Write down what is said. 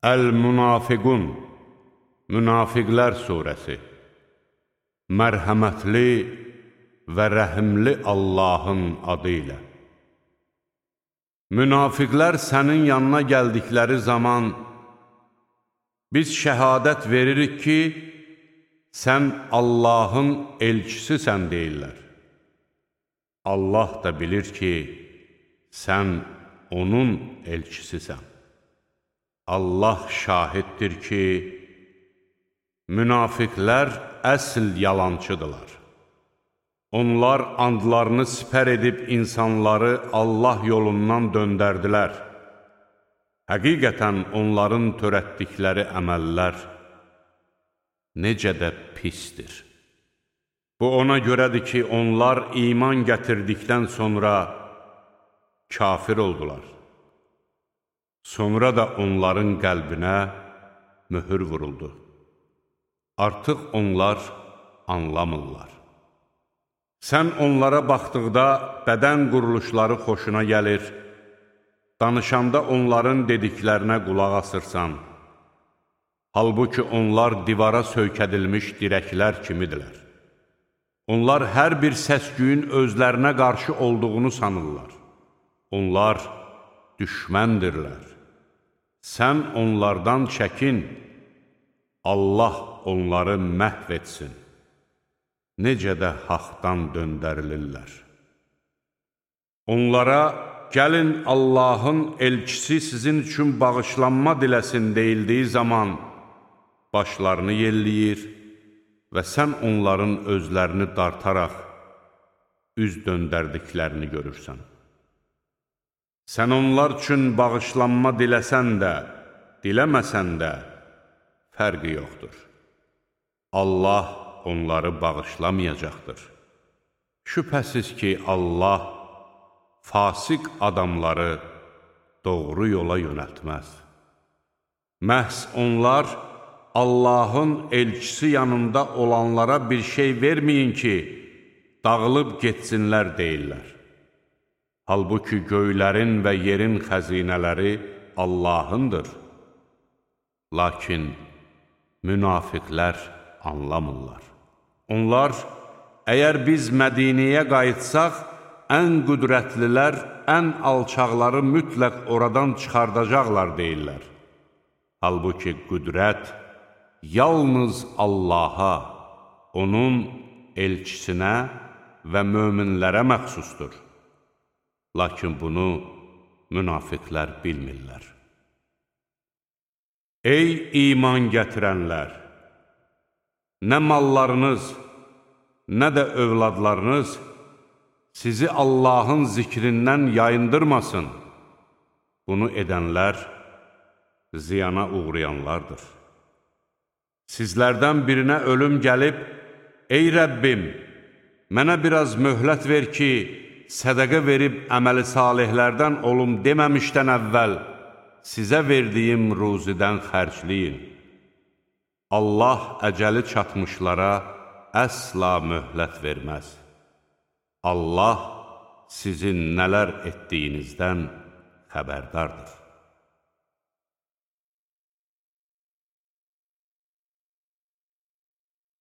Əl-Münafiqun, Münafiqlər surəsi. Mərhəmətli və rəhimli Allahın adı ilə. Münafiqlər sənin yanına gəldikləri zaman, biz şəhadət veririk ki, sən Allahın elçisisən deyirlər. Allah da bilir ki, sən onun elçisisən. Allah şahiddir ki, münafiqlər əsl yalancıdırlar. Onlar andlarını sipər edib insanları Allah yolundan döndərdilər. Həqiqətən onların törətdikləri əməllər necə də pisdir. Bu ona görədir ki, onlar iman gətirdikdən sonra kafir oldular. Sonra da onların qəlbinə möhür vuruldu. Artıq onlar anlamırlar. Sən onlara baxdıqda bədən quruluşları xoşuna gəlir, danışanda onların dediklərinə qulaq asırsan. Halbuki onlar divara söykədilmiş dirəklər kimidirlər. Onlar hər bir səs-küyün özlərinə qarşı olduğunu sanırlar. Onlar düşməndirlər. Sən onlardan çəkin, Allah onları məhv etsin. Necə də haqdan döndərilirlər. Onlara, gəlin Allahın elçisi sizin üçün bağışlanma diləsin deyildiyi zaman, başlarını yelləyir və sən onların özlərini dartaraq üz döndərdiklərini görürsən. Sən onlar üçün bağışlanma diləsən də, diləməsən də fərqi yoxdur. Allah onları bağışlamayacaqdır. Şübhəsiz ki, Allah fasik adamları doğru yola yönəltməz. Məhz onlar Allahın elçisi yanında olanlara bir şey verməyin ki, dağılıb getsinlər deyirlər. Halbuki göylərin və yerin xəzinələri Allahındır. Lakin münafiqlər anlamırlar. Onlar, əgər biz Mədiniyə qayıtsaq, ən qüdrətlilər, ən alçaqları mütləq oradan çıxardacaqlar deyirlər. Halbuki qüdrət yalnız Allaha, onun elçisinə və möminlərə məxsusdur. Lakin bunu münafiqlər bilmirlər. Ey iman gətirənlər! Nə mallarınız, nə də övladlarınız sizi Allahın zikrindən yayındırmasın. Bunu edənlər ziyana uğrayanlardır. Sizlərdən birinə ölüm gəlib, ey Rəbbim, mənə biraz möhlət ver ki, sədəqə verib əməli salihlərdən olum deməmişdən əvvəl sizə verdiyim ruzidən xərcləyin. Allah əcəli çatmışlara əsla möhlət verməz. Allah sizin nələr etdiyinizdən xəbərdardır.